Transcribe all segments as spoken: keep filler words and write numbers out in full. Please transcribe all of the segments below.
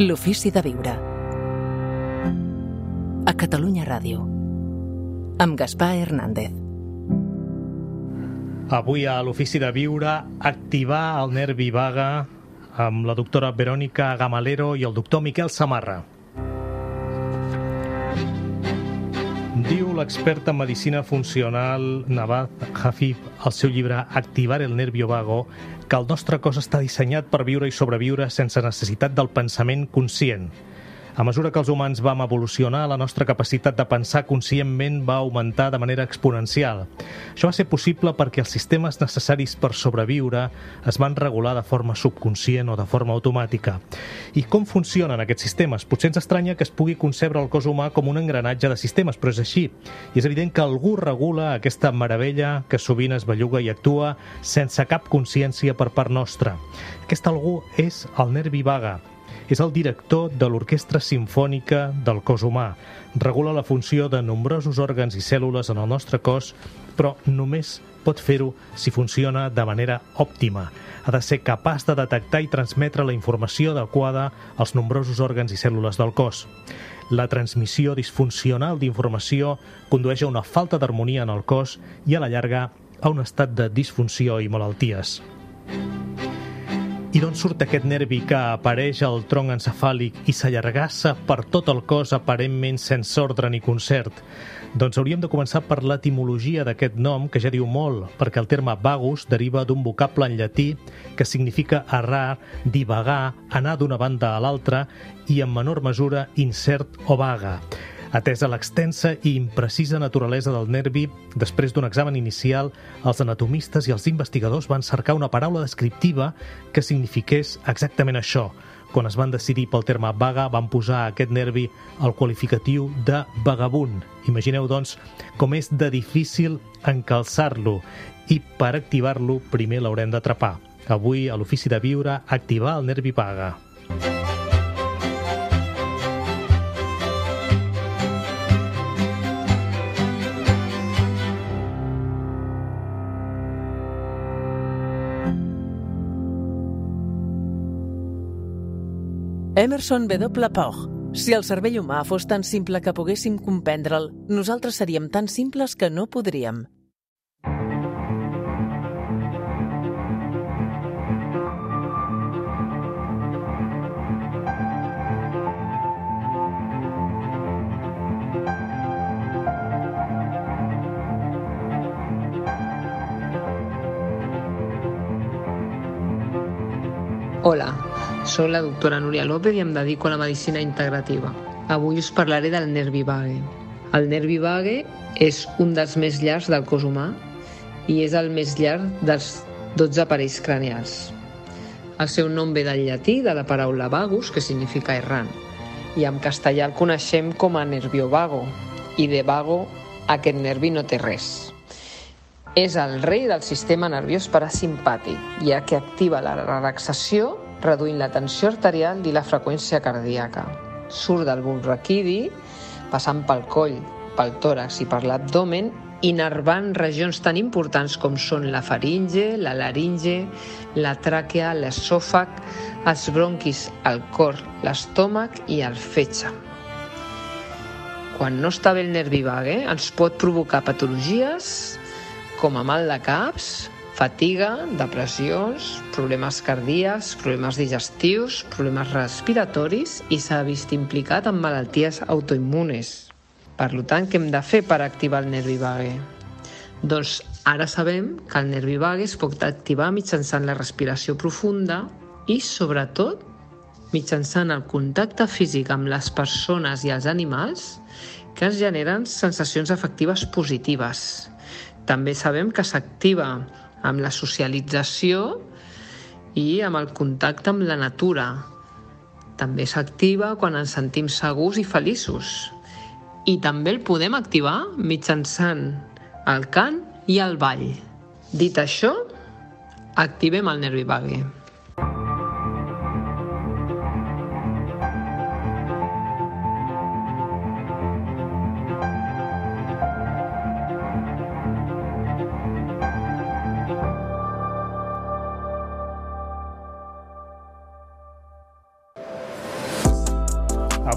L'ofici de viure. A Catalunya Ràdio. Amb Gaspar Hernández. Avui a l'ofici de viure, activar el nervi vague amb la doctora Verònica Gamalero i el doctor Miquel Samarra. Diu l'expert en medicina funcional Navath Hafif al seu llibre Activar el nervio vago que el nostre cos està dissenyat per viure i sobreviure sense necessitat del pensament conscient. A mesura que els humans vam evolucionar, la nostra capacitat de pensar conscientment va augmentar de manera exponencial. Això va ser possible perquè els sistemes necessaris per sobreviure es van regular de forma subconscient o de forma automàtica. I com funcionen aquests sistemes? Potser ens estranya que es pugui concebre el cos humà com un engranatge de sistemes, però és així. I és evident que algú regula aquesta meravella que sovint es belluga i actua sense cap consciència per part nostra. Aquest algú és el nervi vague. És el director de l'Orquestra Simfònica del cos humà. Regula la funció de nombrosos òrgans i cèl·lules en el nostre cos, però només pot fer-ho si funciona de manera òptima. Ha de ser capaç de detectar i transmetre la informació adequada als nombrosos òrgans i cèl·lules del cos. La transmissió disfuncional d'informació condueix a una falta d'harmonia en el cos i, a la llarga, a un estat de disfunció i malalties. I d'on surt aquest nervi que apareix al tronc encefàlic i s'allargassa per tot el cos aparentment sense ordre ni concert? Doncs hauríem de començar per l'etimologia d'aquest nom, que ja diu molt, perquè el terme vagus deriva d'un vocable en llatí que significa errar, divagar, anar d'una banda a l'altra i, en menor mesura, incert o vaga. Atesa l'extensa i imprecisa naturalesa del nervi, després d'un examen inicial, els anatomistes i els investigadors van cercar una paraula descriptiva que signifiqués exactament això. Quan es van decidir pel terme vaga, van posar a aquest nervi el qualificatiu de vagabund. Imagineu, doncs, com és de difícil encalçar-lo i per activar-lo primer l'haurem d'atrapar. Avui, a l'ofici de viure, activar el nervi vague. Emerson W. Poch. Si el cervell humà fos tan simple que poguéssim comprendre'l, nosaltres seríem tan simples que no podríem. Hola, soc la doctora Núria López i em dedico a la medicina integrativa. Avui us parlaré del nervi vague. El nervi vague és un dels més llargs del cos humà i és el més llarg dels dotze aparells cranials. El seu nom ve del llatí, de la paraula vagus, que significa errant, i en castellà el coneixem com a nervio vago, i de vago aquest nervi no té res. És el rei del sistema nerviós parasimpàtic, ja que activa la relaxació reduint la tensió arterial i la freqüència cardíaca. Surt del bulb raquidi, passant pel coll, pel tòrax i per l'abdomen, innervant regions tan importants com són la faringe, la laringe, la tràquea, l'esòfag, els bronquis, el cor, l'estómac i el fetge. Quan no està bé el nervi vague, ens pot provocar patologies com a mal de caps, fatiga, depressions, problemes cardíacs, problemes digestius, problemes respiratoris i s'ha vist implicat en malalties autoimmunes. Per tant, què hem de fer per activar el nervi vague? Doncs ara sabem que el nervi vague es pot activar mitjançant la respiració profunda i, sobretot, mitjançant el contacte físic amb les persones i els animals que ens generen sensacions afectives positives. També sabem que s'activa amb la socialització i amb el contacte amb la natura. També s'activa quan ens sentim segurs i feliços. I també el podem activar mitjançant el cant i el ball. Dit això, activem el nervi vague.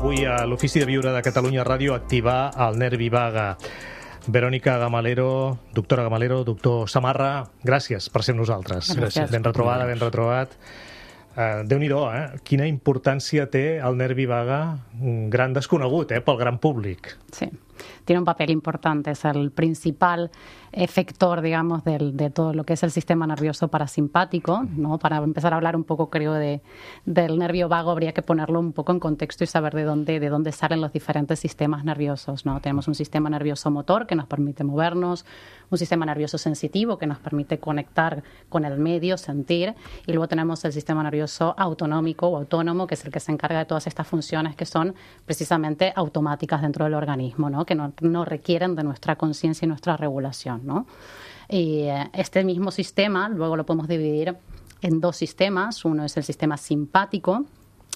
avui a l'Ofici de Viure de Catalunya Ràdio activar el nervi vague. Verònica Gamalero, doctora Gamalero, doctor Samarra, gràcies per ser amb nosaltres. Gràcies. Ben retrobada, ben retrobat. Uh, Déu-n'hi-do, eh? Quina importància té el nervi vague, un gran desconegut, eh, pel gran públic. Sí, tiene un papel importante, es el principal efector, digamos, del, de todo lo que es el sistema nervioso parasimpático, ¿no? Para empezar a hablar un poco, creo, de, del nervio vago, habría que ponerlo un poco en contexto y saber de dónde, de dónde salen los diferentes sistemas nerviosos, ¿no? Tenemos un sistema nervioso motor que nos permite movernos, un sistema nervioso sensitivo que nos permite conectar con el medio, sentir, y luego tenemos el sistema nervioso autonómico o autónomo, que es el que se encarga de todas estas funciones que son precisamente automáticas dentro del organismo, ¿no? Que no, no requieren de nuestra conciencia y nuestra regulación, ¿no? Y este mismo sistema luego lo podemos dividir en dos sistemas. Uno es el sistema simpático,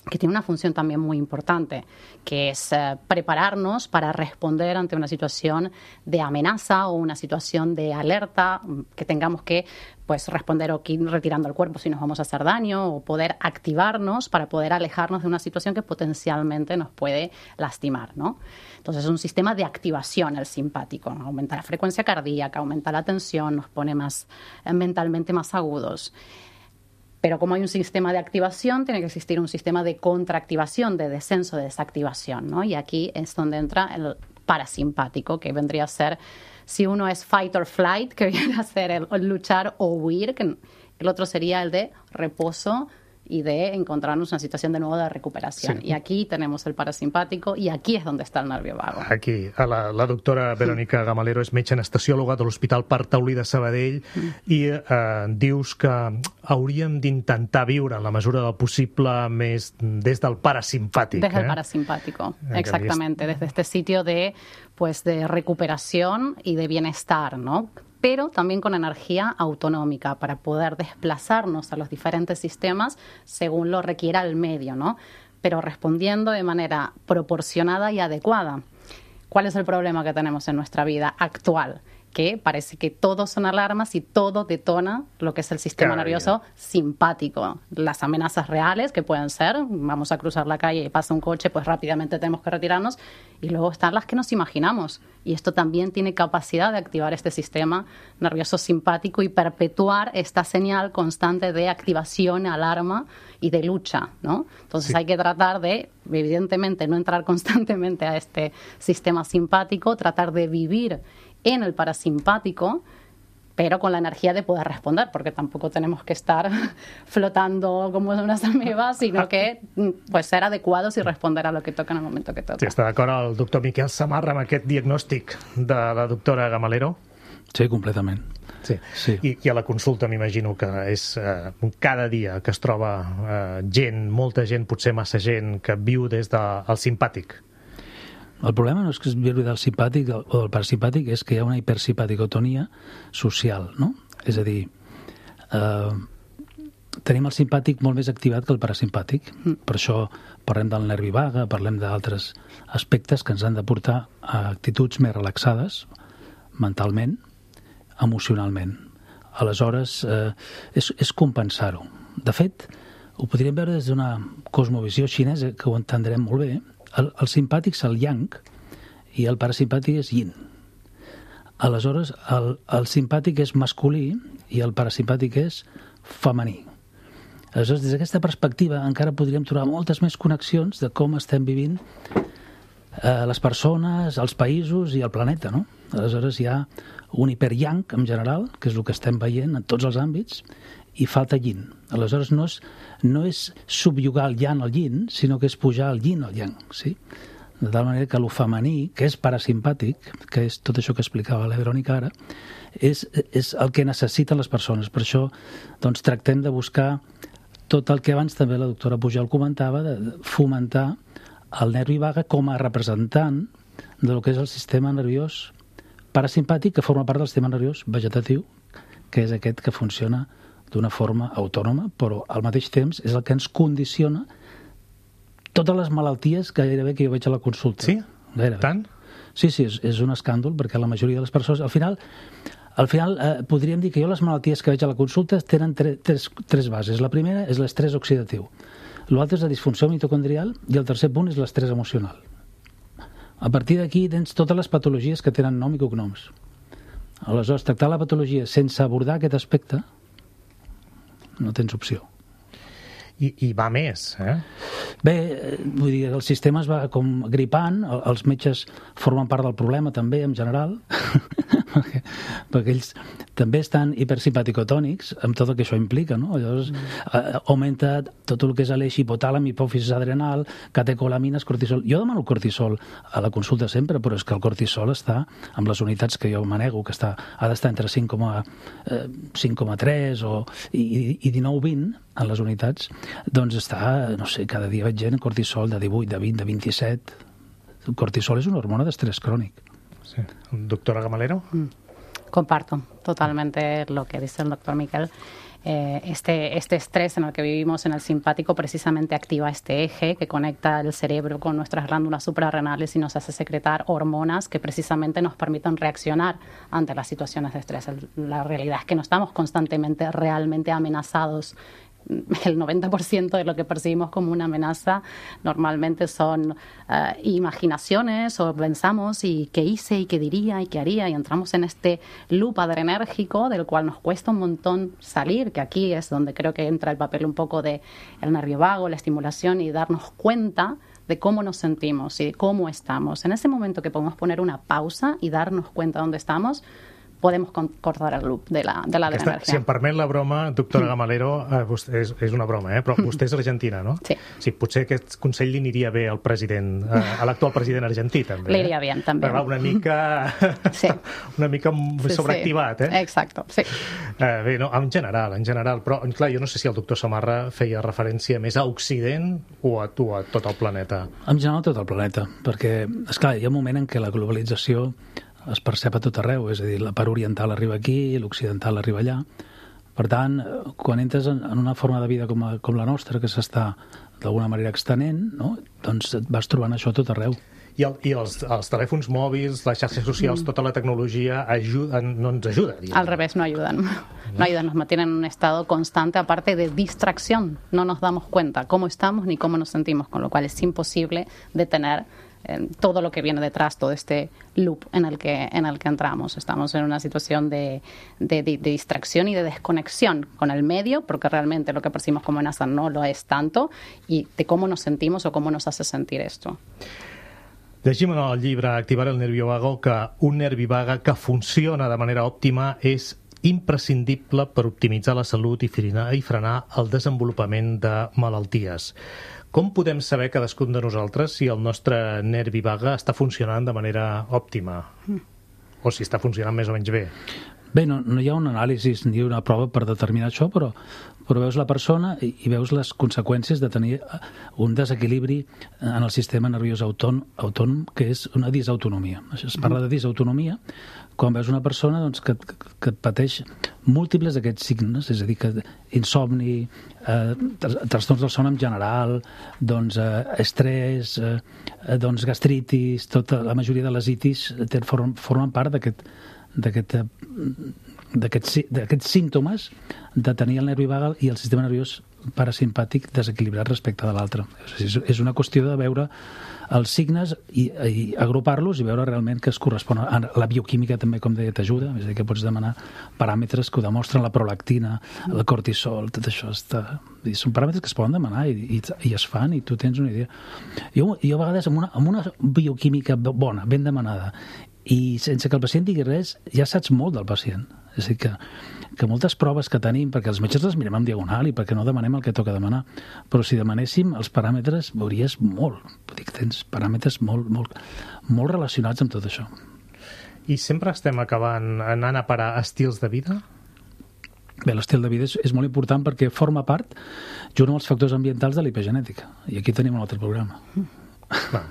que tiene una función también muy importante, que es eh, prepararnos para responder ante una situación de amenaza o una situación de alerta, que tengamos que pues responder o ir retirando el cuerpo si nos vamos a hacer daño, o poder activarnos para poder alejarnos de una situación que potencialmente nos puede lastimar, ¿no? Entonces es un sistema de activación el simpático, ¿no? Aumenta la frecuencia cardíaca, aumenta la tensión, nos pone más eh, mentalmente más agudos. Pero como hay un sistema de activación, tiene que existir un sistema de contraactivación, de descenso, de desactivación, ¿no? Y aquí es donde entra el parasimpático, que vendría a ser, si uno es fight or flight, que viene a ser el, el luchar o huir, que el otro sería el de reposo y de encontrarnos en una situación de nuevo de recuperación. Sí. Y aquí tenemos el parasimpàtico i aquí és on està el nervio vago. Aquí, la, la doctora Verònica Gamalero és metge anestesiòloga de l'Hospital Parc Taulí de Sabadell mm. i eh, dius que hauríem d'intentar viure en la mesura del possible més des del parasimpàtic. Des del eh? parasimpático, exactamente, desde este sitio de, pues, de recuperación y de bienestar, ¿no? Pero también con energía autonómica para poder desplazarnos a los diferentes sistemas según lo requiera el medio, ¿no? Pero respondiendo de manera proporcionada y adecuada. ¿Cuál es el problema que tenemos en nuestra vida actual? Que parece que todo son alarmas y todo detona lo que es el sistema Cada nervioso día. simpático. Las amenazas reales, que pueden ser, vamos a cruzar la calle y pasa un coche, pues rápidamente tenemos que retirarnos. Y luego están las que nos imaginamos. Y esto también tiene capacidad de activar este sistema nervioso simpático y perpetuar esta señal constante de activación, alarma y de lucha, ¿no? Entonces sí. hay que tratar de, evidentemente, no entrar constantemente a este sistema simpático, tratar de vivir en el parasimpático, pero con la energía de poder responder, porque tampoco tenemos que estar flotando como unas amebas, sino que pues, ser adecuados y responder a lo que toca en el momento que toca. Sí, està d'acord el doctor Miquel Samarra amb aquest diagnòstic de la doctora Gamalero? Sí, completament. Sí. Sí. I, I a la consulta m'imagino que és eh, cada dia que es troba eh, gent, molta gent, potser massa gent, que viu des del simpàtic. El problema no és que es viure del simpàtic o del parasimpàtic, és que hi ha una hipersimpaticotonia social, no? És a dir, eh, tenim el simpàtic molt més activat que el parasimpàtic. Mm. Per això parlem del nervi vague, parlem d'altres aspectes que ens han de portar a actituds més relaxades, mentalment, emocionalment. Aleshores, eh, és, és compensar-ho. De fet, ho podríem veure des d'una cosmovisió xinesa, que ho entendrem molt bé. El, el simpàtic és el yang i el parasimpàtic és yin. Aleshores, el, el simpàtic és masculí i el parasimpàtic és femení. Aleshores, des d'aquesta perspectiva encara podríem trobar moltes més connexions de com estem vivint eh, les persones, els països i el planeta, no? Aleshores, hi ha un hiper-yang en general, que és el que estem veient en tots els àmbits, i falta yin. Aleshores, no és, no és subjugar el yang al yin, sinó que és pujar el yin al yang, sí? De tal manera que el femení, que és parasimpàtic, que és tot això que explicava la Verònica ara, és, és el que necessiten les persones. Per això doncs, tractem de buscar tot el que abans també la doctora Pujol comentava, de fomentar el nervi vague com a representant de lo que és el sistema nerviós parasimpàtic, que forma part del sistema nerviós vegetatiu, que és aquest que funciona d'una forma autònoma, però al mateix temps és el que ens condiciona totes les malalties que gairebé que jo veig a la consulta. Sí? Gairebé. Tant? Sí, sí, és, és un escàndol, perquè la majoria de les persones... Al final, al final eh, podríem dir que jo les malalties que veig a la consulta tenen tre, tres, tres bases. La primera és l'estrès oxidatiu. l'altre és la disfunció mitocondrial i el tercer punt és l'estrès emocional. A partir d'aquí tens totes les patologies que tenen nom i cognoms. Aleshores, tractar la patologia sense abordar aquest aspecte no tens opció. I, i va més, eh? Bé, vull dir, el sistema es va com gripant, els metges formen part del problema també, en general, perquè, perquè ells també estan hipersimpaticotònics, amb tot el que això implica, no? Llavors, mm. augmenta tot el que és l'eix hipotàlam, hipòfisis adrenal, catecolamines, cortisol. Jo demano cortisol a la consulta sempre, però és que el cortisol està amb les unitats que jo manego, que està, ha d'estar entre cinc coma tres o, i, i dinou vint en les unitats, doncs està, no sé, cada dia veig gent cortisol de divuit, de vint, de vint-i-set. El cortisol és una hormona d'estrès crònic. Sí. Doctora Gamalero. Mm. Comparto totalmente lo que dice el doctor Miquel. Eh, este, este estrés en el que vivimos en el simpático precisamente activa este eje que conecta el cerebro con nuestras glándulas suprarrenales y nos hace secretar hormonas que precisamente nos permiten reaccionar ante las situaciones de estrés. La realidad es que no estamos constantemente realmente amenazados. El noventa por ciento de lo que percibimos como una amenaza normalmente son uh, imaginaciones o pensamos y qué hice y qué diría y qué haría y entramos en este loop adrenérgico del cual nos cuesta un montón salir, que aquí es donde creo que entra el papel un poco de el nervio vago, la estimulación y darnos cuenta de cómo nos sentimos y de cómo estamos. En ese momento que podemos poner una pausa y darnos cuenta de dónde estamos, podemos cortar el loop de la, de la Aquesta, energia. Si em permet la broma, doctora Gamalero, eh, vostè, és, és una broma, eh? Però vostè és argentina, no? Sí. Sí, potser aquest consell li aniria bé al president, eh, a l'actual president argentí, també. Le iria bien, també. Però una mica, sí. una mica sí, sobreactivat, eh? Exacto, sí. Eh, bé, no, en general, en general, però clar, jo no sé si el doctor Samarra feia referència més a Occident o a tu, a tot el planeta. En general, tot el planeta, perquè, esclar, hi ha un moment en què la globalització es percep a tot arreu, és a dir, la part oriental arriba aquí, l'occidental arriba allà. Per tant, quan entres en una forma de vida com, a, com la nostra, que s'està d'alguna manera extenent, no? Doncs et vas trobant això a tot arreu. I, el, i els, els telèfons mòbils, les xarxes socials, mm. tota la tecnologia ajuda, no ens ajuda. Diguem. Al revés, no ayudan. No ayudan, nos mantienen en un estado constante, aparte de distracción. No nos damos cuenta cómo estamos ni cómo nos sentimos, con lo cual es imposible detener eh, todo lo que viene detrás, todo este loop en el que, en el que entramos. Estamos en una situación de, de, de, de distracción y de desconexión con el medio, porque realmente lo que percibimos como amenaza no lo es tanto, y de cómo nos sentimos o cómo nos hace sentir esto. Llegim en el llibre Activar el nervio vago que un nervi vaga que funciona de manera òptima és imprescindible per optimitzar la salut i frenar, i frenar el desenvolupament de malalties. Com podem saber cadascun de nosaltres si el nostre nervi vaga està funcionant de manera òptima? O si està funcionant més o menys bé? Bé, no, no hi ha un anàlisi ni una prova per determinar això, però, però veus la persona i, i veus les conseqüències de tenir un desequilibri en el sistema nerviós autònom, autònom que és una disautonomia. Es parla de disautonomia quan veus una persona doncs, que, que, que pateix múltiples d'aquests signes, és a dir, que insomni, eh, trastorns del son en general, doncs, eh, estrès, eh, doncs, gastritis, tota la majoria de les itis formen, formen part d'aquest d'aquests símptomes de tenir el nervi vagal i el sistema nerviós parasimpàtic desequilibrat respecte de l'altre. És una qüestió de veure els signes i, i agrupar-los i veure realment que es correspon a la bioquímica també, com deia, t'ajuda, és a dir, que pots demanar paràmetres que ho demostren, la prolactina, el cortisol, tot això està... són paràmetres que es poden demanar i, i, i es fan i tu tens una idea. Jo, jo a vegades amb una, amb una bioquímica bona, ben demanada, i sense que el pacient digui res, ja saps molt del pacient. És a dir, que, que moltes proves que tenim, perquè els metges les mirem en diagonal i perquè no demanem el que toca demanar, però si demanéssim els paràmetres veuries molt. Vull dir que tens paràmetres molt, molt, molt relacionats amb tot això. I sempre estem acabant anant a parar estils de vida? Bé, l'estil de vida és, és molt important perquè forma part, junt amb els factors ambientals, de l'epigenètica. I aquí tenim un altre programa. Va.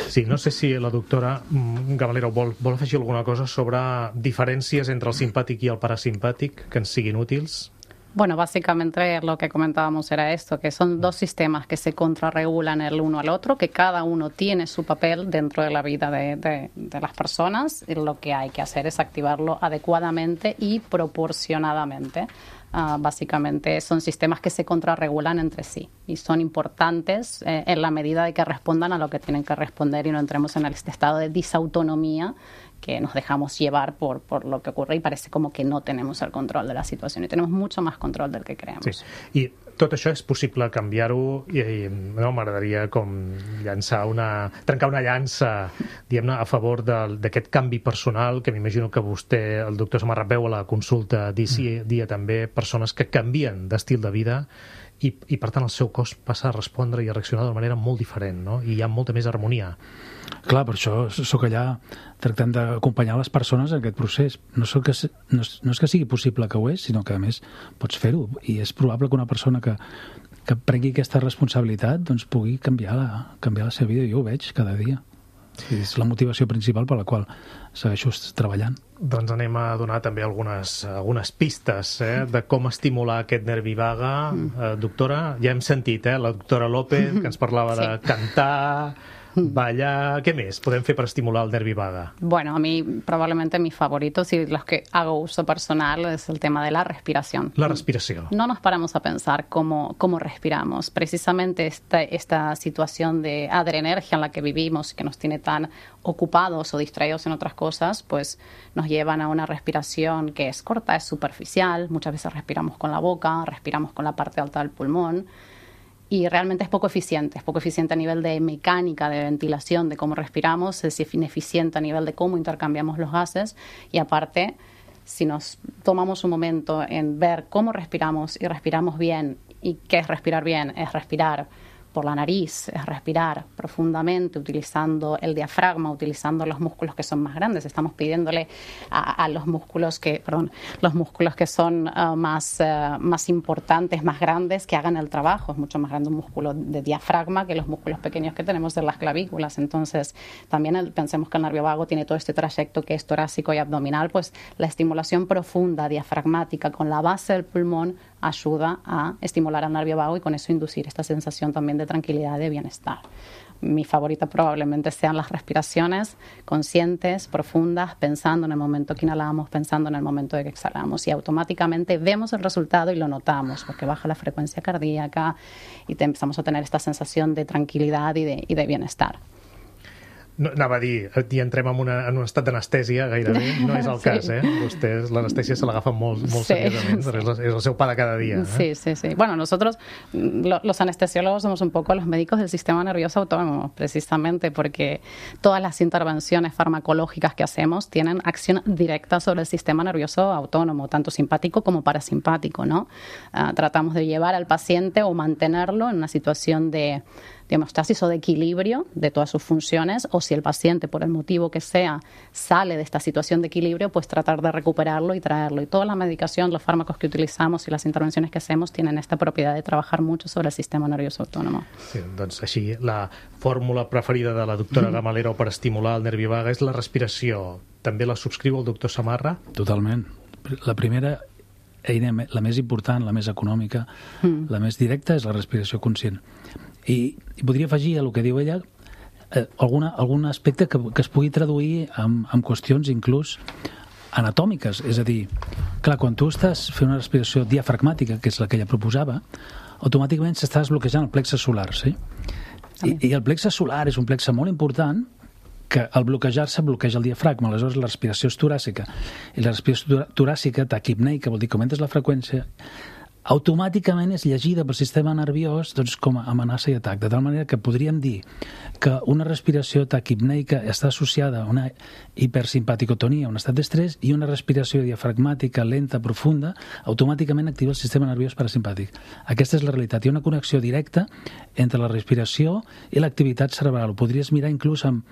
Sí, no sé si la doctora Gamalero vol, vol afegir alguna cosa sobre diferències entre el simpàtic i el parasimpàtic que ens siguin útils. Bueno, básicamente lo que comentábamos era esto, que son dos sistemas que se contrarregulan el uno al otro, que cada uno tiene su papel dentro de la vida de, de, de las personas, y lo que hay que hacer es activarlo adecuadamente y proporcionadamente. Uh, básicamente son sistemas que se contrarregulan entre sí y son importantes eh, en la medida de que respondan a lo que tienen que responder y no entremos en este estado de disautonomía que nos dejamos llevar por, por lo que ocurre y parece como que no tenemos el control de la situación y tenemos mucho más control del que creemos. Sí. I tot això és possible canviar-ho i, i no, m'agradaria com llançar una, trencar una llança diguem-ne a favor d'aquest canvi personal que m'imagino que vostè, el doctor Samarra, veu a la consulta dia, dia també persones que canvien d'estil de vida i, i per tant el seu cos passa a respondre i a reaccionar d'una manera molt diferent, no? I hi ha molta més harmonia. Clar, per això sóc allà tractant d'acompanyar les persones en aquest procés. No, que, no, és, no és que sigui possible que ho és, sinó que a més pots fer-ho i és probable que una persona que, que prengui aquesta responsabilitat doncs pugui canviar la, canviar la seva vida. Jo ho veig cada dia. Sí, és la motivació principal per la qual segueixo treballant. Doncs anem a donar també algunes, algunes pistes eh, de com estimular aquest nervi vaga. Mm. Eh, doctora, ja hem sentit eh, la doctora López, que ens parlava sí. de cantar, ballar, ¿qué més podem fer per estimular el nervi vaga? Bueno, a mí probablemente mis favoritos y los que hago uso personal es el tema de la respiración. La respiración. No nos paramos a pensar cómo, cómo respiramos. Precisamente esta, esta situación de adrenergia en la que vivimos, que nos tiene tan ocupados o distraídos en otras cosas, pues nos llevan a una respiración que es corta, es superficial. Muchas veces respiramos con la boca, respiramos con la parte alta del pulmón. Y realmente es poco eficiente, es poco eficiente a nivel de mecánica, de ventilación, de cómo respiramos, es ineficiente a nivel de cómo intercambiamos los gases y aparte, si nos tomamos un momento en ver cómo respiramos y respiramos bien, y qué es respirar bien, es respirar por la nariz, es respirar profundamente utilizando el diafragma, utilizando los músculos que son más grandes. Estamos pidiéndole a, a los músculos que, perdón, los músculos que son uh, más, uh, más importantes, más grandes, que hagan el trabajo. Es mucho más grande un músculo de diafragma que los músculos pequeños que tenemos en las clavículas. Entonces, también el, pensemos que el nervio vago tiene todo este trayecto que es torácico y abdominal, pues la estimulación profunda, diafragmática, con la base del pulmón, ayuda a estimular al nervio vago y con eso inducir esta sensación también de tranquilidad y de bienestar. Mi favorita probablemente sean las respiraciones conscientes, profundas, pensando en el momento que inhalamos, pensando en el momento de que exhalamos y automáticamente vemos el resultado y lo notamos porque baja la frecuencia cardíaca y te empezamos a tener esta sensación de tranquilidad y de, y de bienestar. No, anava a dir, i entrem en, una, en un estat d'anestèsia gairebé, no és el sí. cas, eh? Vostès l'anestèsia se l'agafa molt, molt sí, seriosament, sí. és, el, és el seu pa de cada dia. Eh? Sí, sí, sí. Bueno, nosotros, lo, los anestesiólogos, somos un poco los médicos del sistema nervioso autónomo, precisamente porque todas las intervenciones farmacológicas que hacemos tienen acción directa sobre el sistema nervioso autónomo, tanto simpático como parasimpático, ¿no? Uh, tratamos de llevar al paciente o mantenerlo en una situación de de homeostasis o de equilibrio de todas sus funciones, o si el paciente, por el motivo que sea, sale de esta situación de equilibrio, pues tratar de recuperarlo y traerlo. Y toda la medicación, los fármacos que utilizamos y las intervenciones que hacemos tienen esta propiedad de trabajar mucho sobre el sistema nervioso autónomo. Sí, doncs així, la fórmula preferida de la doctora Gamalero per estimular el nervi vaga és la respiració. També la subscriu el doctor Samarra? Totalment. La primera eina, la més important, la més econòmica, mm. la més directa, és la respiració conscient. I, i podria afegir a el que diu ella eh, alguna, algun aspecte que, que es pugui traduir amb, amb qüestions inclús anatòmiques, és a dir, clar, quan tu estàs fent una respiració diafragmàtica, que és la que ella proposava, automàticament s'està desbloquejant el plexe solar, sí? I, i el plexe solar és un plexe molt important que al bloquejar-se bloqueja el diafragma, aleshores la respiració és toràcica, i la respiració toràcica, taquipneica, vol dir que augmentes la freqüència, automàticament és llegida pel sistema nerviós doncs, com a amenaça i atac, de tal manera que podríem dir que una respiració taquipneica està associada a una hipersimpaticotonia, un estat d'estrès, i una respiració diafragmàtica lenta, profunda, automàticament activa el sistema nerviós parasimpàtic. Aquesta és la realitat. Hi ha una connexió directa entre la respiració i l'activitat cerebral. Ho podries mirar inclús amb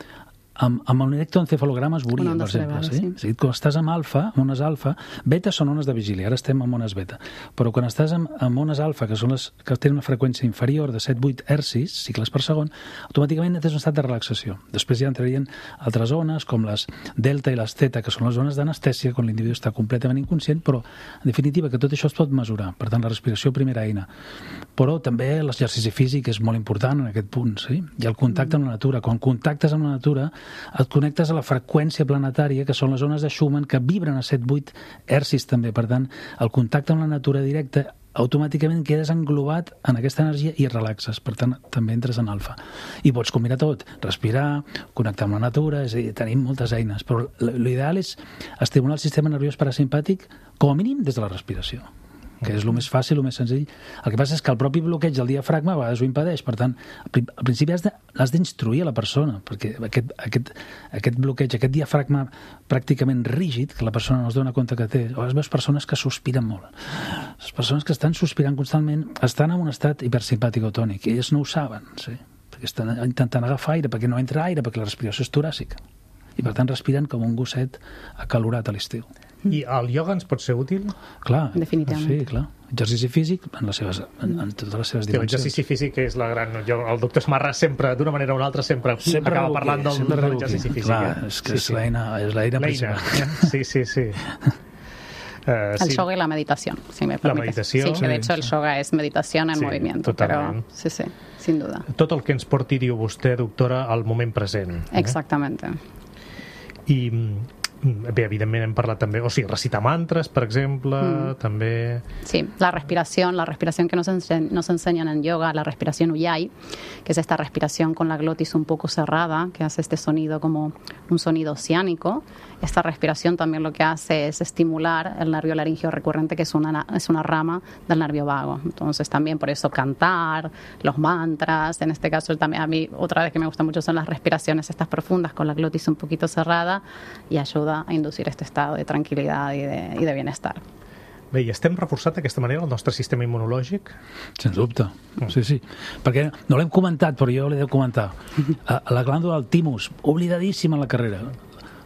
amb, amb un electroencefalograma es veuria, per exemple. Vegades, sí? sí. És a dir, quan estàs amb alfa, amb ones alfa, beta són ones de vigília, ara estem amb ones beta, però quan estàs amb, amb ones alfa, que són les que tenen una freqüència inferior de set a vuit hertzis, cicles per segon, automàticament tens un estat de relaxació. Després ja entrarien altres ones, com les delta i les theta, que són les zones d'anestèsia, quan l'individu està completament inconscient, però, en definitiva, que tot això es pot mesurar. Per tant, la respiració, primera eina. Però també l'exercici físic és molt important en aquest punt, sí? I el contacte amb la natura. Quan contactes amb la natura, et connectes a la freqüència planetària, que són les ones de Schumann, que vibren a set a vuit hertzis també. Per tant, el contacte amb la natura directa, automàticament quedes englobat en aquesta energia i relaxes. Per tant, també entres en alfa. I pots combinar tot, respirar, connectar amb la natura, és a dir, tenim moltes eines. Però l'ideal és estimular el sistema nerviós parasimpàtic com a mínim des de la respiració, que és el més fàcil, el més senzill. El que passa és que el propi bloqueig del diafragma a vegades ho impedeix. Per tant, al principi has de, has d'instruir a la persona, perquè aquest, aquest, aquest bloqueig, aquest diafragma pràcticament rígid, que la persona no es dona compte que té, o veus persones que sospiren molt. Les persones que estan sospirant constantment estan en un estat hipersimpàtic o tònic, i ells no ho saben, sí? Perquè estan intentant agafar aire, perquè no entra aire, perquè la respiració és toràcica. I per tant respiren com un gosset acalorat a l'estiu. I el ioga ens pot ser útil? Clar, definitivament. Sí, clar. Exercici físic en, les seves, en, en totes les seves dimensions. L'exercici físic és la gran... Jo, el doctor Esmarra sempre, d'una manera o una altra, sempre, sempre acaba parlant del, de l'exercici físic. Clar, és que sí, és sí. l'eina, és l'eina principal. Sí, sí, sí. Uh, el sí. yoga y la meditación, si me permites. La meditació. Sí, que de hecho el yoga es meditación en sí, movimiento. Totalment. Pero, sí, sí, sin duda. Tot el que ens porti, diu vostè, doctora, al moment present. Eh? Exactamente. I bé, evidentment hem parlat també, o sigui, recitar mantres, per exemple, mm. també... Sí, la respiración, la respiración que nos, ense nos enseñan en yoga, la respiración Ujjayi, que es esta respiración con la glotis un poco cerrada, que hace este sonido como un sonido oceánico. Esta respiración también lo que hace es estimular el nervio laringeo recurrente, que es una, es una rama del nervio vago. Entonces también por eso cantar, los mantras, en este caso también a mí otra vez que me gusta mucho son las respiraciones estas profundas con la glotis un poquito cerrada y ayuda a inducir este estado de tranquil·litat i de, i de bienestar. Bé, i estem reforçat d'aquesta manera el nostre sistema immunològic? Sens dubte, sí, sí. Perquè no l'hem comentat, però jo l'he de comentar. La glàndula del timus, oblidadíssima en la carrera.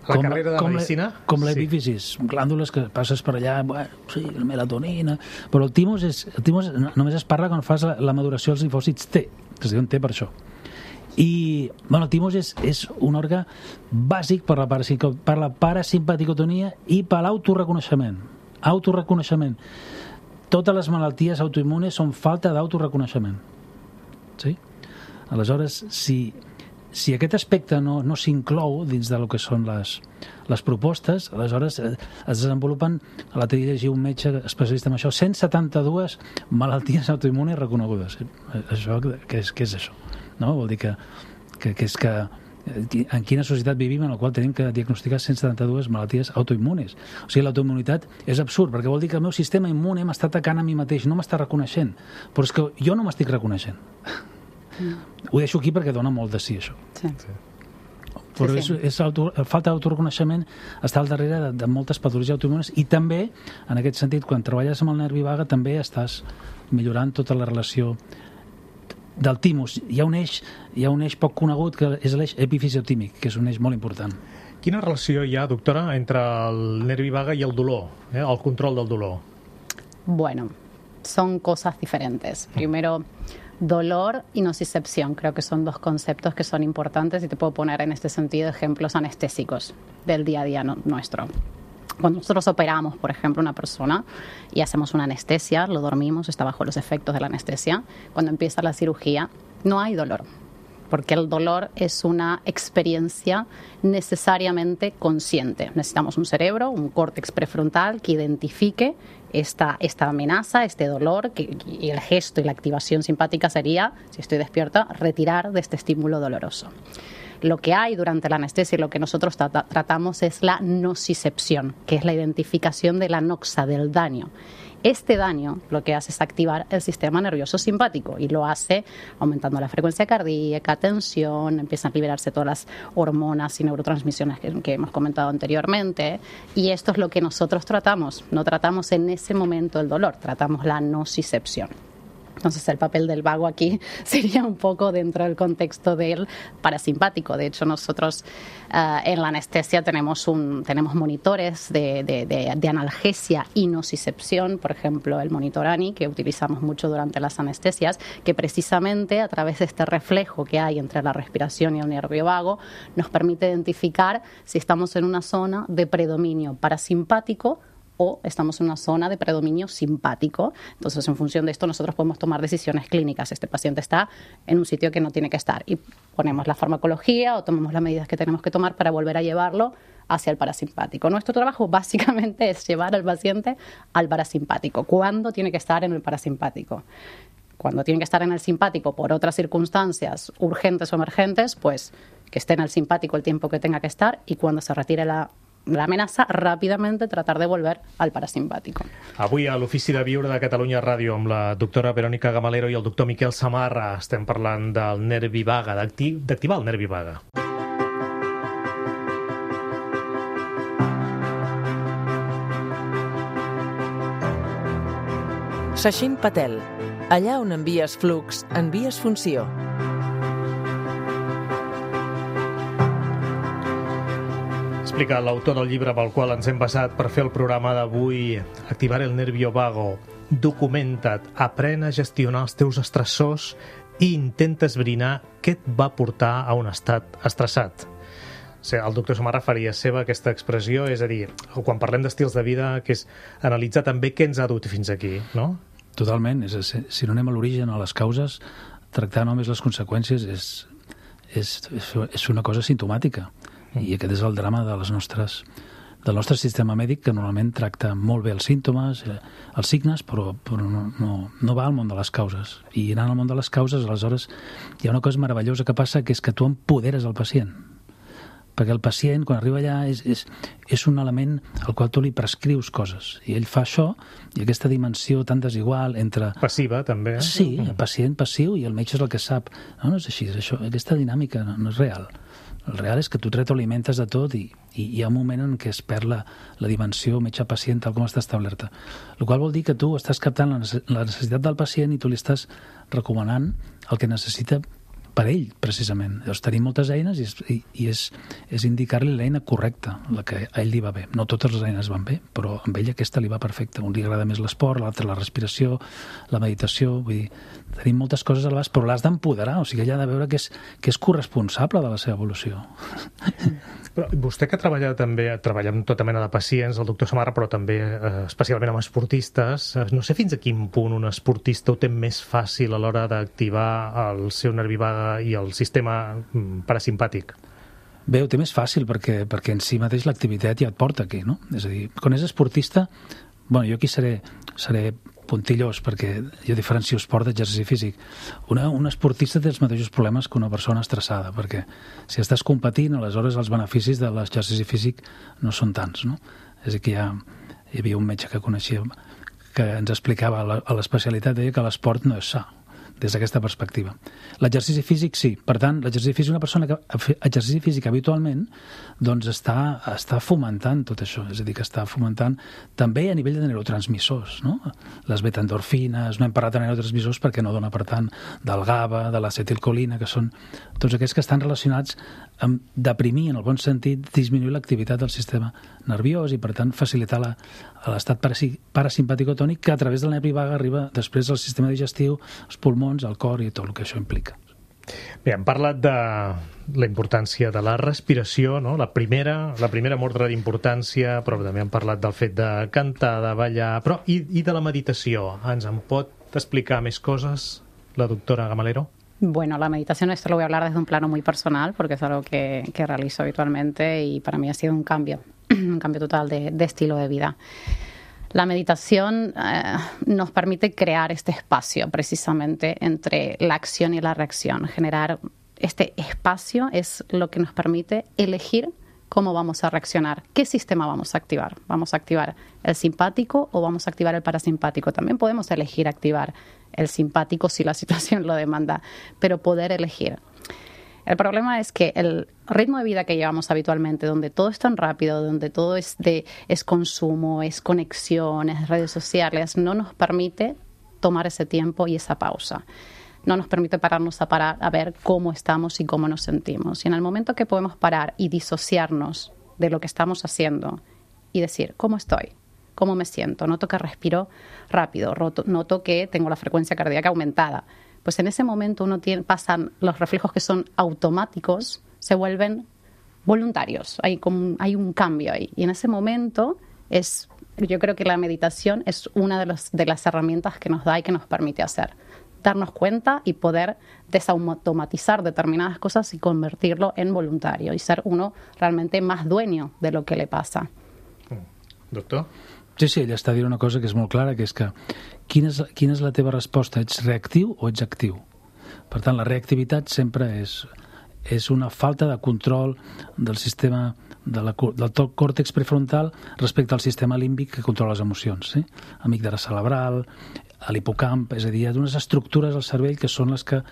La com, carrera de com medicina? La, com l'epífisis, sí. Glàndules que passes per allà, bueno, sí, la melatonina... Però el timus, és, el timus només es parla quan fas la, la maduració dels linfòcits T, que es diuen T per això. I bueno, el timus és, és un òrgan bàsic per la, per la parasimpaticotonia i per l'autoreconeixement. Autoreconeixement. Totes les malalties autoimmunes són falta d'autoreconeixement. Sí? Aleshores, si, si aquest aspecte no, no s'inclou dins de lo que són les, les propostes, aleshores es desenvolupen, a l'altre dia llegia un metge especialista en això, cent setanta-dues malalties autoimmunes reconegudes. Això, què és, què és això? No? Vol dir que, que, que és que en quina societat vivim en la qual tenim que diagnosticar cent setanta-dues malalties autoimmunes. O sigui, l'autoimmunitat és absurd, perquè vol dir que el meu sistema immune m'està atacant a mi mateix, no m'està reconeixent. Però és que jo no m'estic reconeixent. Mm. Ho deixo aquí perquè dona molt de sí, això. Sí. Sí. Però sí, sí. És, és auto, falta d'autoreconeixement està al darrere de, de moltes patologies autoimmunes i també, en aquest sentit, quan treballes amb el nervi vague, també estàs millorant tota la relació del timus. Hi ha un eix, hi ha un eix poc conegut que és l'eix epifisiotìmic, que és un eix molt important. Quina relació hi ha, doctora, entre el nervi vague i el dolor, eh? El control del dolor? Bueno, son cosas diferentes. Primero, dolor y nocicepción. Creo que son dos conceptos que son importantes y te puedo poner en este sentido ejemplos anestésicos del día a día no, nuestro. Cuando nosotros operamos, por ejemplo, una persona y hacemos una anestesia, lo dormimos, está bajo los efectos de la anestesia, cuando empieza la cirugía no hay dolor, porque el dolor es una experiencia necesariamente consciente. Necesitamos un cerebro, un córtex prefrontal que identifique esta, esta amenaza, este dolor, que, y el gesto y la activación simpática sería, si estoy despierta, retirar de este estímulo doloroso. Lo que hay durante la anestesia y lo que nosotros tra tratamos es la nocicepción, que es la identificación de la noxa, del daño. Este daño lo que hace es activar el sistema nervioso simpático y lo hace aumentando la frecuencia cardíaca, tensión, empiezan a liberarse todas las hormonas y neurotransmisiones que, que hemos comentado anteriormente, y esto es lo que nosotros tratamos. No tratamos en ese momento el dolor, tratamos la nocicepción. Entonces el papel del vago aquí sería un poco dentro del contexto del parasimpático. De hecho, nosotros uh, en la anestesia tenemos, un, tenemos monitores de, de, de, de analgesia y nocicepción, por ejemplo el monitor A N I, que utilizamos mucho durante las anestesias, que precisamente a través de este reflejo que hay entre la respiración y el nervio vago nos permite identificar si estamos en una zona de predominio parasimpático o estamos en una zona de predominio simpático. Entonces, en función de esto, nosotros podemos tomar decisiones clínicas. Este paciente está en un sitio que no tiene que estar y ponemos la farmacología o tomamos las medidas que tenemos que tomar para volver a llevarlo hacia el parasimpático. Nuestro trabajo básicamente es llevar al paciente al parasimpático. ¿Cuándo tiene que estar en el parasimpático? Cuando tiene que estar en el simpático por otras circunstancias urgentes o emergentes, pues que esté en el simpático el tiempo que tenga que estar, y cuando se retire la la amenaça, ràpidament tratar de volver al parasimpàtico. Avui a l'Ofici de Viure de Catalunya Ràdio amb la doctora Verònica Gamalero i el doctor Miquel Samarra estem parlant del nervi vague, d'activar el nervi vague. Sachin Patel. Allà on envies flux, envies funció. Explica l'autor del llibre pel qual ens hem basat per fer el programa d'avui, Activar el nervio vago. Documenta't, aprèn a gestionar els teus estressors i intenta esbrinar què et va portar a un estat estressat. O sigui, el doctor Samarra faria seva aquesta expressió, és a dir, quan parlem d'estils de vida, que és analitzar també què ens ha dut fins aquí, no? Totalment. És, si no anem a l'origen, a les causes, tractar només les conseqüències és, és, és una cosa simptomàtica. I aquest és el drama de les nostres, del nostre sistema mèdic, que normalment tracta molt bé els símptomes, els signes, però, però no, no, no va al món de les causes. I anant al món de les causes, aleshores, hi ha una cosa meravellosa que passa, que és que tu empoderes el pacient. Perquè el pacient, quan arriba allà, és, és, és un element al qual tu li prescrius coses. I ell fa això, i aquesta dimensió tan desigual entre... Passiva, també. Eh? Sí, el pacient passiu i el metge és el que sap. No, no és així, és això, aquesta dinàmica no, no és real. El real és que tu retroalimentes de tot i, i hi ha un moment en què es perd la, la dimensió metge-pacient tal com està establerta. El qual vol dir que tu estàs captant la necessitat del pacient i tu li estàs recomanant el que necessita per ell, precisament. Llavors, tenim moltes eines i, i, i és, és indicar-li l'eina correcta, la que a ell li va bé. No totes les eines van bé, però amb ell aquesta li va perfecta. Un li agrada més l'esport, l'altre la respiració, la meditació, vull dir, tenim moltes coses a l'abast, però l'has d'empoderar, o sigui, ella ha de veure que és, que és corresponsable de la seva evolució. Però vostè que treballa també, treballa amb tota mena de pacients, el doctor Samarra, però també eh, especialment amb esportistes, no sé fins a quin punt un esportista ho té més fàcil a l'hora d'activar el seu nervi vague i el sistema parasimpàtic. Bé, ho té més fàcil perquè, perquè en si mateix l'activitat ja et porta aquí, no? És a dir, quan és esportista, bueno, jo aquí seré, seré puntillós perquè jo diferencio esport d'exercici físic. Una, un esportista té els mateixos problemes que una persona estressada, perquè si estàs competint, aleshores els beneficis de l'exercici físic no són tants, no? És a dir, que hi, ha, hi havia un metge que coneixia que ens explicava a l'especialitat, deia que l'esport no és sa, des d'aquesta perspectiva. L'exercici físic, sí. Per tant, l'exercici físic, una persona que fa exercici físic habitualment, doncs està, està fomentant tot això. És a dir, que està fomentant també a nivell de neurotransmissors, no? Les beta-endorfines, no hem parlat de neurotransmissors perquè no dona per tant del GABA, de l'acetilcolina, que són tots aquests que estan relacionats amb deprimir, en el bon sentit, disminuir l'activitat del sistema nerviós i, per tant, facilitar la, l'estat parasimpàtico-tònic que a través del nervi vague arriba després al sistema digestiu, als pulmons, al cor i tot el que això implica. Bé, hem parlat de la importància de la respiració, no? La primera, la primera mordre d'importància, però també hem parlat del fet de cantar, de ballar, però i, i de la meditació. Ens en pot explicar més coses la doctora Gamalero? Bueno, la meditación, esto lo voy a hablar desde un plano muy personal, porque es algo que, que realizo habitualmente y para mí ha sido un cambio, un cambio total de, de estilo de vida. La meditación eh, nos permite crear este espacio precisamente entre la acción y la reacción. Generar este espacio es lo que nos permite elegir cómo vamos a reaccionar, qué sistema vamos a activar. ¿Vamos a activar el simpático o vamos a activar el parasimpático? También podemos elegir activar el simpático si la situación lo demanda, pero poder elegir. El problema es que el ritmo de vida que llevamos habitualmente, donde todo es tan rápido, donde todo es, de, es consumo, es conexión, es redes sociales, no nos permite tomar ese tiempo y esa pausa. No nos permite pararnos a parar a ver cómo estamos y cómo nos sentimos. Y en el momento que podemos parar y disociarnos de lo que estamos haciendo y decir, ¿cómo estoy? ¿Cómo me siento? Noto que respiro rápido, noto que tengo la frecuencia cardíaca aumentada. Pues en ese momento uno tiene, pasan los reflejos que son automáticos, se vuelven voluntarios. Hay, como, hay un cambio ahí. Y en ese momento es, yo creo que la meditación es una de, los, de las herramientas que nos da y que nos permite hacer. Darnos cuenta y poder desautomatizar determinadas cosas y convertirlo en voluntario y ser uno realmente más dueño de lo que le pasa. Doctor? Sí, sí, ella està dient una cosa que és molt clara, que és que quina és, quina és la teva resposta? Ets reactiu o ets actiu? Per tant, la reactivitat sempre és, és una falta de control del sistema de la, del còrtex prefrontal respecte al sistema límbic que controla les emocions, sí? Amígdala cerebral, a l'hipocamp, és a dir, hi ha unes estructures al cervell que són les que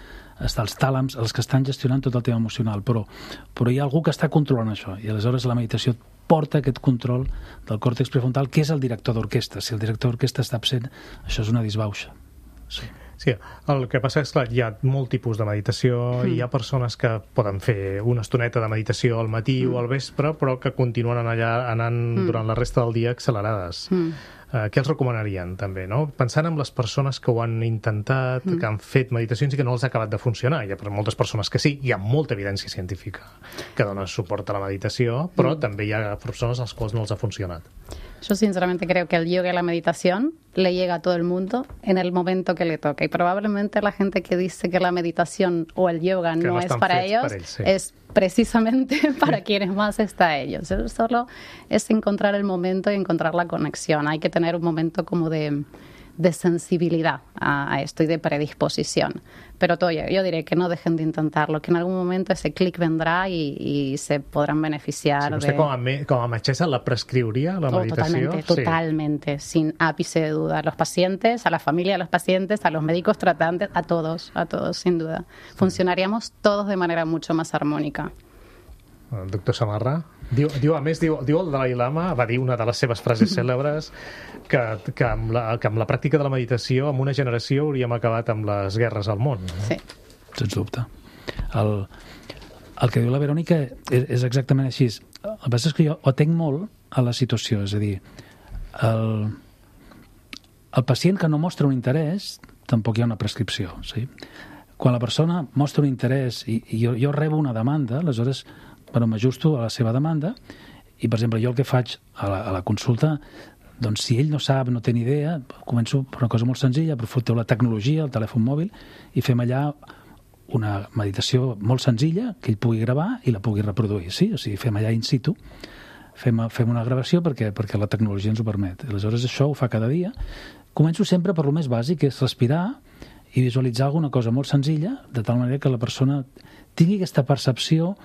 estan els tàlams, els que estan gestionant tot el tema emocional, però, però hi ha algú que està controlant això, i aleshores la meditació porta aquest control del còrtex prefrontal, que és el director d'orquestra. Si el director d'orquestra està absent, això és una disbauxa. Sí. Sí, el que passa és que hi ha molt tipus de meditació, mm. hi ha persones que poden fer una estoneta de meditació al matí mm. o al vespre, però que continuen allà anant mm. durant la resta del dia accelerades. Mm. Uh, què els recomanarien, també, no? Pensant en les persones que ho han intentat, mm. que han fet meditacions i que no els ha acabat de funcionar. Hi ha moltes persones que sí, hi ha molta evidència científica que dona suport a la meditació, però mm. també hi ha persones als quals no els ha funcionat. Yo sinceramente creo que el yoga y la meditación le llega a todo el mundo en el momento que le toca. Y probablemente la gente que dice que la meditación o el yoga no, no es para ellos, para él, sí. es precisamente para quienes más está a ellos. Eso solo es encontrar el momento y encontrar la conexión. Hay que tener un momento como de, de sensibilidad a, a esto y de predisposición. Pero todo, yo diré que no dejen de intentarlo, que en algún momento ese clic vendrá y, y se podrán beneficiar. Sí, vostè de... com, a me, com a metgessa la prescriuria, la meditació? Oh, totalmente, sí. totalmente, sin ápice de duda. A los pacientes, a la familia de los pacientes, a los médicos tratantes, a todos, a todos, sin duda. Sí. Funcionaríamos todos de manera mucho más armónica. El doctor Samarra diu, diu, a més, diu, diu el Dalai Lama, va dir una de les seves frases cèlebres, que, que, amb la, que amb la pràctica de la meditació, en una generació hauríem acabat amb les guerres al món. No? Sí. Sens dubte. El, el que diu la Verònica és, és exactament així. El que passa és que jo ho tenc molt a la situació, és a dir, el, el pacient que no mostra un interès, tampoc hi ha una prescripció. Sí? Quan la persona mostra un interès i, i jo, jo rebo una demanda, aleshores bueno, m'ajusto a la seva demanda i, per exemple, jo el que faig a la, a la consulta, doncs si ell no sap, no té ni idea, començo per una cosa molt senzilla, aprofito la tecnologia, el telèfon mòbil, i fem allà una meditació molt senzilla que ell pugui gravar i la pugui reproduir, sí? O sigui, fem allà in situ, fem, fem una gravació perquè, perquè la tecnologia ens ho permet. Aleshores això ho fa cada dia. Començo sempre per lo més bàsic, que és respirar i visualitzar alguna cosa molt senzilla, de tal manera que la persona tingui aquesta percepció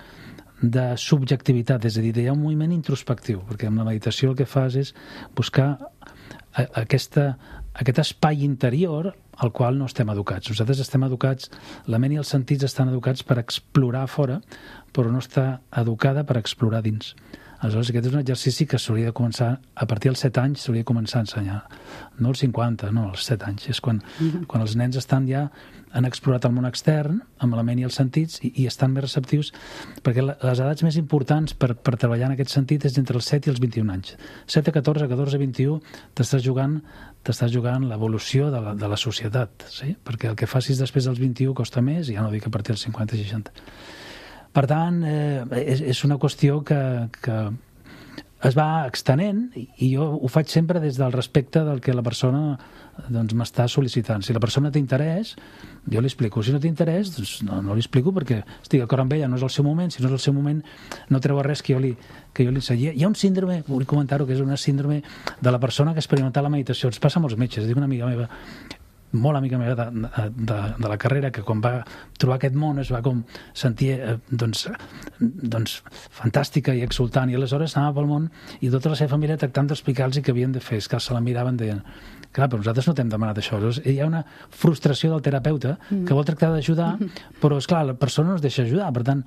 de subjectivitat, és a dir, hi ha un moviment introspectiu, perquè amb la meditació el que fas és buscar aquesta, aquest espai interior al qual no estem educats. Nosaltres estem educats, la ment i els sentits estan educats per explorar fora, però no està educada per explorar dins. Aleshores, aquest és un exercici que s'hauria de començar, a partir dels set anys s'hauria de començar a ensenyar. No als cinquanta, no, als set anys. És quan, mm-hmm. quan els nens estan ja, han explorat el món extern, amb la ment i els sentits, i, i estan més receptius, perquè les edats més importants per, per treballar en aquest sentit és entre els set i els vint-i-un anys. set a catorze, catorze a vint-i-u, t'estàs jugant, t'estàs jugant l'evolució de la, de la societat, sí? Perquè el que facis després dels vint-i-u costa més, i ja no dic a partir dels cinquanta i seixanta. Per tant, eh, és, és una qüestió que, que es va extenent i jo ho faig sempre des del respecte del que la persona doncs, m'està sol·licitant. Si la persona té interès, jo li explico. Si no té interès, doncs no, no li explico perquè estic d'acord amb ella, no és el seu moment. Si no és el seu moment, no treu res que jo li, que jo li ensenyi. Hi ha un síndrome, vull comentar-ho, que és una síndrome de la persona que ha experimentat la meditació. Ens passa a molts metges. Dic una amiga meva, molt amiga meva de, de, de la carrera, que quan va trobar aquest món es va com sentir eh, doncs, doncs fantàstica i exultant, i aleshores anava pel món i tota la seva família tractant d'explicar-los què havien de fer. És que se la miraven, deien, clar, però nosaltres no t'hem demanat això. Llavors, hi ha una frustració del terapeuta que vol tractar d'ajudar, però, esclar, la persona no es deixa ajudar. Per tant,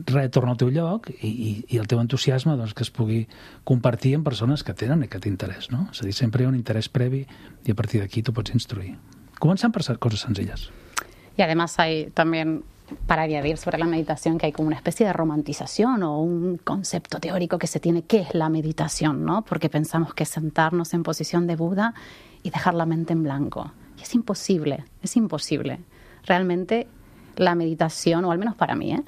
res torna al teu lloc i, i, i el teu entusiasme doncs, que es pugui compartir amb persones que tenen aquest interès, no? És a dir, sempre hi ha un interès previ i a partir d'aquí tu pots instruir. Començant per coses senzilles. Y además hay también, para añadir sobre la meditación, que hay como una especie de romantización o un concepto teórico que se tiene, ¿qué es la meditación? ¿No? Porque pensamos que es sentarnos en posición de Buda y dejar la mente en blanco. Y es imposible, es imposible. Realmente la meditación, o al menos para mí, ¿eh?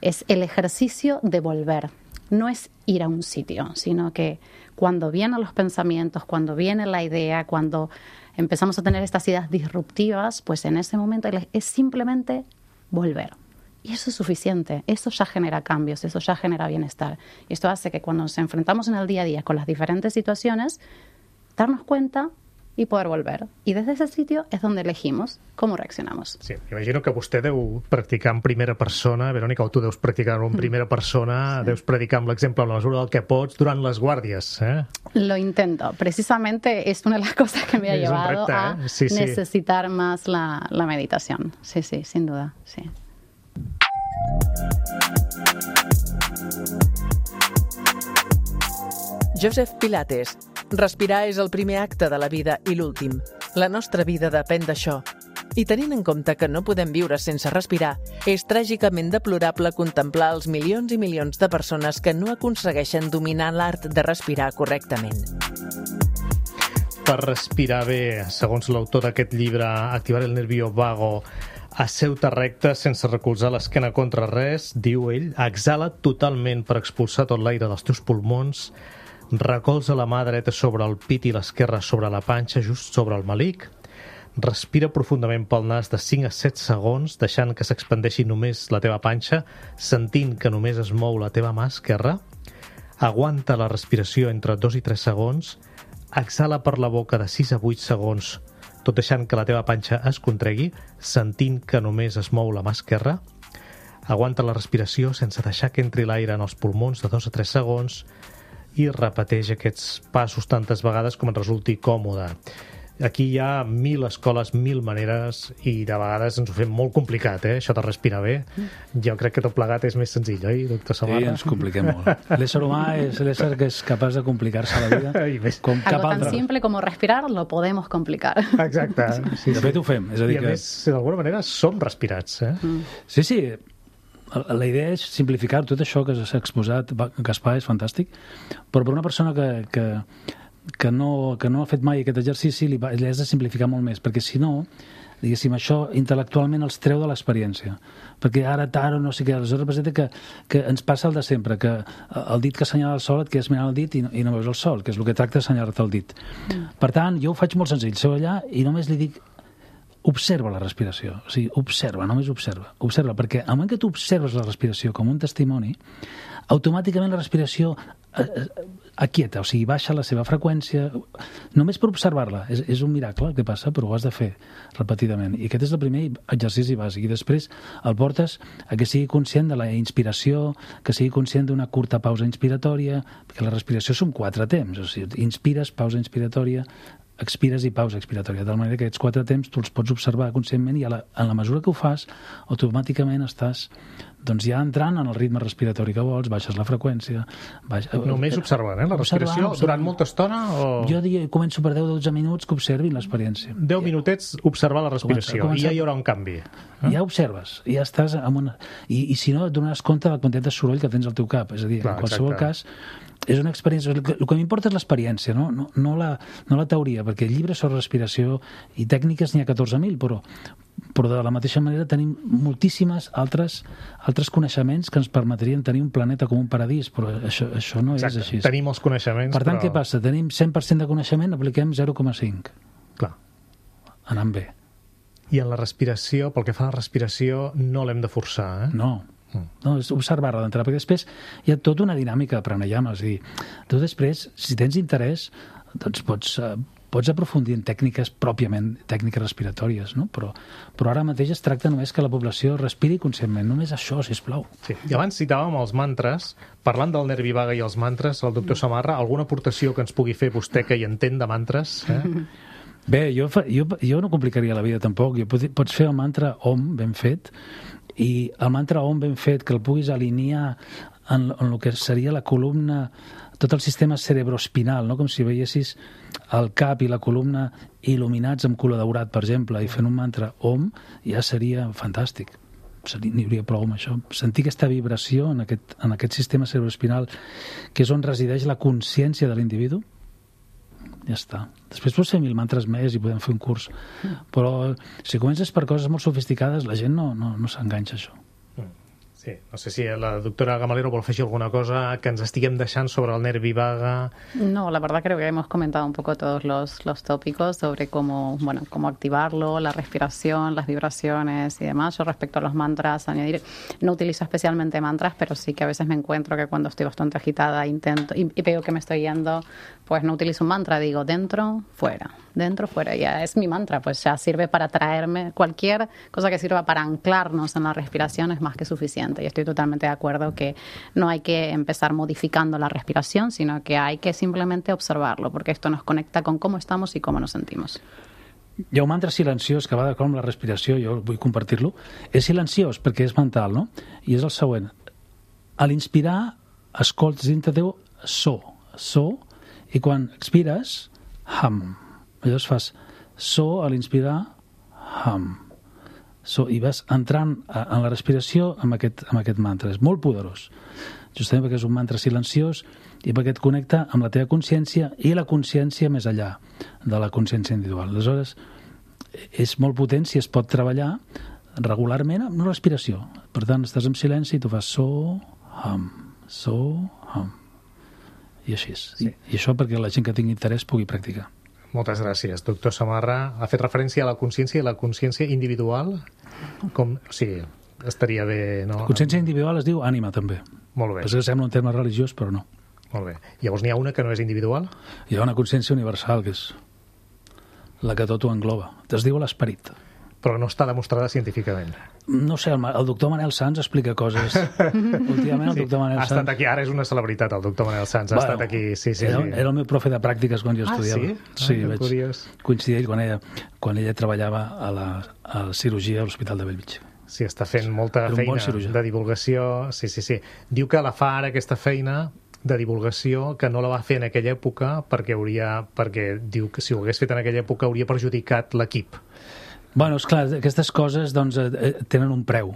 es el ejercicio de volver. No es ir a un sitio, sino que cuando vienen los pensamientos, cuando viene la idea, cuando empezamos a tener estas ideas disruptivas, pues en ese momento es simplemente volver. Y eso es suficiente, eso ya genera cambios, eso ya genera bienestar. Y esto hace que cuando nos enfrentamos en el día a día con las diferentes situaciones, darnos cuenta i poder volver. I des d'aquest sitio és on elegimos com reaccionamos. Sí, imagino que vostè deu practicar en primera persona, Verónica, o tu deus practicar en primera persona, sí. Deus predicar amb l'exemple, amb la mesura del que pots, durant les guàrdies, eh? Lo intento. Precisamente es una de las cosas que me ha es llevado repte, a eh? sí, sí. necesitar más la, la meditación. Sí, sí, sin duda, sí. Joseph Pilates. Respirar és el primer acte de la vida i l'últim. La nostra vida depèn d'això. I tenint en compte que no podem viure sense respirar, és tràgicament deplorable contemplar els milions i milions de persones que no aconsegueixen dominar l'art de respirar correctament. Per respirar bé, segons l'autor d'aquest llibre, Activar el nervio vago, asseu-te recte sense recolzar l'esquena contra res, diu ell, exhala totalment per expulsar tot l'aire dels teus pulmons, recolza la mà dreta sobre el pit i l'esquerra sobre la panxa, just sobre el melic, respira profundament pel nas de cinc a set segons, deixant que s'expandeixi només la teva panxa, sentint que només es mou la teva mà esquerra, aguanta la respiració entre dos i tres segons, exhala per la boca de sis a vuit segons, tot deixant que la teva panxa es contregui, sentint que només es mou la mà esquerra, aguanta la respiració sense deixar que entri l'aire en els pulmons de dos a tres segons, i repeteix aquests passos tantes vegades com et resulti còmode. Aquí hi ha mil escoles, mil maneres, i de vegades ens ho fem molt complicat, eh? Això de respirar bé. Jo crec que tot plegat és més senzill, oi, doctor Samarra? Sí, ens compliquem molt. L'ésser humà és l'ésser que és capaç de complicar-se la vida com cap Algo tan altre. simple como respirar lo podemos complicar. Exacte. Sí, de fet ho fem. És a dir I a que... més, d'alguna manera, som respirats, eh? Mm. Sí, sí. La idea és simplificar tot això que s'ha exposat. Gaspar és fantàstic, però per una persona que, que, que, no, que no ha fet mai aquest exercici li, li has de simplificar molt més, perquè si no, diguéssim, això intel·lectualment els treu de l'experiència, perquè ara, ara, no sé què, aleshores representa que, que ens passa el de sempre, que el dit que assenyala el sol et quedes mirant el dit i no, i no veus el sol, que és el que tracta d'assenyalar-te el dit. Mm. Per tant, jo ho faig molt senzill, seu allà i només li dic observa la respiració, o sigui, observa, només observa, observa, perquè al moment que tu observes la respiració com un testimoni, automàticament la respiració aquieta, o sigui, baixa la seva freqüència, només per observar-la. És, és un miracle el que passa, però ho has de fer repetidament. I aquest és el primer exercici bàsic. I després el portes a que sigui conscient de la inspiració, que sigui conscient d'una curta pausa inspiratòria, perquè la respiració són quatre temps, o sigui, inspires, pausa inspiratòria, expires i pausa expiratòria, de manera que aquests quatre temps tu els pots observar conscientment i a la, en la mesura que ho fas, automàticament estàs doncs ja entrant en el ritme respiratori que vols, baixes la freqüència... Baix... Només observant, eh? La respiració, observant, durant molta estona? O... Jo diria, començo per deu a dotze minuts que observin l'experiència. deu minutets observar la respiració, comença, comença... i ja hi haurà un canvi. Eh? Ja observes, ja estàs en una... I, i si no, et donaràs compte de la quantitat de soroll que tens al teu cap, és a dir, clar, en qualsevol exacte. cas... És una experiència... El que, el que m'importa és l'experiència, no? No, no, la, no la teoria, perquè llibres sobre respiració i tècniques n'hi ha catorze mil, però, però de la mateixa manera tenim moltíssimes altres, altres coneixements que ens permetrien tenir un planeta com un paradís, però això, això no Exacte. és així. Tenim els coneixements, Per tant, però... què passa? Tenim cent per cent de coneixement, apliquem zero coma cinc. Clar. Anant bé. I en la respiració, pel que fa a la respiració, no l'hem de forçar, eh? No. No, és observar-la d'entrada, perquè després hi ha tota una dinàmica de pranayama, és a dir, tu després, si tens interès, doncs pots, uh, pots aprofundir en tècniques pròpiament, tècniques respiratòries, no? Però, però ara mateix es tracta només que la població respiri conscientment, només això, sisplau. Sí. I abans citàvem els mantres, parlant del nervi vague i els mantres, el doctor Samarra, alguna aportació que ens pugui fer vostè que hi entén de mantres? Eh? Bé, jo, fa, jo, jo no complicaria la vida tampoc, jo pot, pots fer el mantra Om ben fet I el mantra Om ben fet, que el puguis alinear en, en el que seria la columna, tot el sistema cerebroespinal, no? Com si veiessis el cap i la columna il·luminats amb color daurat, per exemple, i fent un mantra Om, ja seria fantàstic. N'hi hauria prou amb això. Sentir aquesta vibració en aquest, en aquest sistema cerebroespinal, que és on resideix la consciència de l'individu, ja està. Després pots fer mil mantres més i podem fer un curs. Però si comences per coses molt sofisticades, la gent no, no, no s'enganxa a això. Sí, no sé si la doctora Gamalero vol afegir alguna cosa que ens estiguem deixant sobre el nervi vaga. No, la verdad creo que hemos comentado un poco todos los, los tópicos sobre cómo, bueno, cómo activarlo, la respiración, las vibraciones y demás. Yo respecto a los mantras, añadir, no utilizo especialmente mantras, pero sí que a veces me encuentro que cuando estoy bastante agitada intento y, y veo que me estoy yendo, pues no utilizo un mantra, digo dentro, fuera, dentro, fuera. Ya es mi mantra, pues ya sirve para traerme cualquier cosa que sirva para anclarnos en la respiración es más que suficiente. Y estoy totalmente de acuerdo que no hay que empezar modificando la respiración, sino que hay que simplemente observarlo, porque esto nos conecta con cómo estamos y cómo nos sentimos. Hi ha un mantra silenciós que va d'acord amb la respiració, jo vull compartir-lo. És silenciós perquè és mental, no? I és el següent. A l'inspirar, escoltes dintre teu so, so, i quan expires, hum. Llavors fas so a l'inspirar, hum. So, i vas entrant en la respiració amb aquest, amb aquest mantra. És molt poderós, justament perquè és un mantra silenciós i perquè et connecta amb la teva consciència i la consciència més enllà de la consciència individual. Aleshores, és molt potent si es pot treballar regularment amb la respiració. Per tant, estàs en silenci i tu fas so, hum, so, hum. I així. Sí. I, I això perquè la gent que tingui interès pugui practicar. Moltes gràcies. Doctor Samarra, ha fet referència a la consciència i la consciència individual? Com, sí, estaria bé, no? La consciència individual es diu ànima, també. Molt bé. Perquè sembla un terme religiós, però no. Molt bé. Llavors n'hi ha una que no és individual? Hi ha una consciència universal, que és la que tot ho engloba. Es diu l'esperit. Però no està demostrada científicament. No sé, el, el doctor Manel Sanz explica coses. Últimament el sí, doctor Manel ha Sanz... estat aquí, ara és una celebritat, el doctor Manel Sanz. Ha bueno, estat aquí, sí, sí. Era, sí. era el meu profe de pràctiques quan jo estudiava. Ah, sí? Sí, ah, vaig curiós. coincidir ell quan ella, quan ella treballava a la, a la cirurgia a l'Hospital de Bellvitge. Sí, està fent molta bon feina de divulgació. Sí, sí, sí. Diu que la fa ara aquesta feina de divulgació que no la va fer en aquella època perquè hauria, perquè diu que si ho hagués fet en aquella època hauria perjudicat l'equip. Bueno, és clar, aquestes coses doncs, eh, tenen un preu.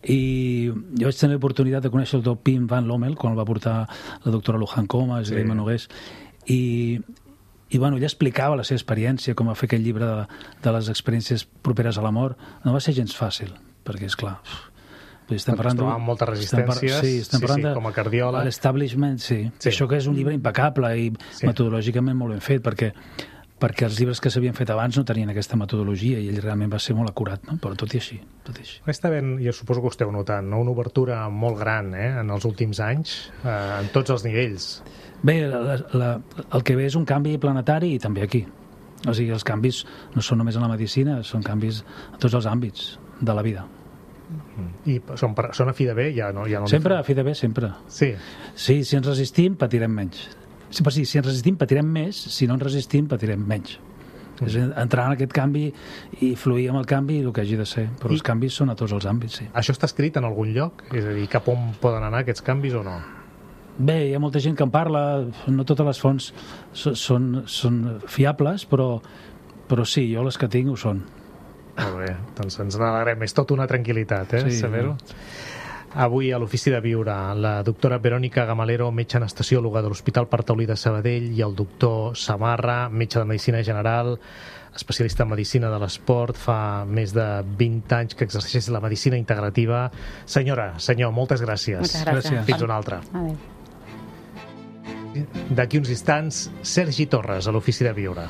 I jo vaig tenir l'oportunitat de conèixer el doctor Pim Van Lommel quan el va portar la doctora Luján Comas i sí. l'Emma Nogués. I, i bueno, ella explicava la seva experiència, com va fer aquell llibre de, de les experiències properes a la mort. No va ser gens fàcil, perquè, és clar... Estem parlant de moltes resistències, sí, estem sí, parlant sí, de, com a cardiòleg. L'establishment, sí. sí. Això que és un llibre impecable i sí. metodològicament molt ben fet, perquè perquè els llibres que s'havien fet abans no tenien aquesta metodologia i ell realment va ser molt acurat, no? Però tot i així, tot i així. Està ben, jo suposo que ho esteu notant, no? Una obertura molt gran eh? en els últims anys, eh, en tots els nivells. Bé, la, la, el que ve és un canvi planetari i també aquí. O sigui, els canvis no són només en la medicina, són canvis en tots els àmbits de la vida. I són, són a fi de bé? Ja no, ja no sempre a fi de bé, sempre. Sí. Sí, si ens resistim, patirem menys. Si, si ens resistim, patirem més, si no ens resistim, patirem menys. Mm. És entrar en aquest canvi i fluir amb el canvi el que hagi de ser. Però I... els canvis són a tots els àmbits, sí. Això està escrit en algun lloc? És a dir, cap on poden anar aquests canvis o no? Bé, hi ha molta gent que en parla, no totes les fonts són, són fiables, però, però sí, jo les que tinc ho són. Molt bé, doncs ens n'alegrem. És tot una tranquil·litat, eh, sí, saber-ho. Avui a l'Ofici de Viure, la doctora Verònica Gamalero, metge anestesiòloga de l'Hospital Partaulí de Sabadell, i el doctor Samarra, metge de Medicina General, especialista en Medicina de l'Esport, fa més de vint anys que exerceix la Medicina Integrativa. Senyora, senyor, moltes gràcies. Moltes gràcies. Fins una altra. Adéu. D'aquí uns instants, Sergi Torres, a l'Ofici de Viure.